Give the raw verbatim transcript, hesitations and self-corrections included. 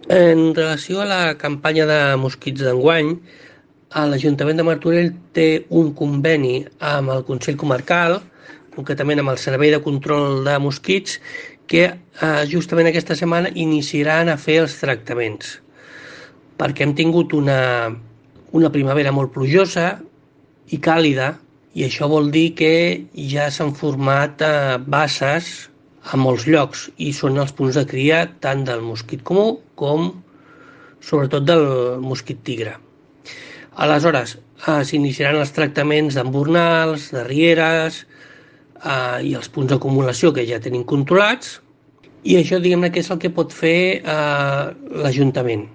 En relació a la campanya de mosquits d'enguany, l'Ajuntament de Martorell té un conveni amb el Consell Comarcal, concretament amb el Servei de Control de Mosquits, que eh, justament aquesta setmana iniciaran a fer els tractaments, perquè hem tingut una, una primavera molt plujosa i càlida, i això vol dir que ja s'han format eh, basses a molts llocs i són els punts de cria tant del mosquit comú com sobretot del mosquit tigre. Aleshores, eh, s'iniciaran els tractaments d'embornals, de rieres eh, i els punts d'acumulació que ja tenim controlats, i això, diguem-ne, que és el que pot fer eh, l'Ajuntament.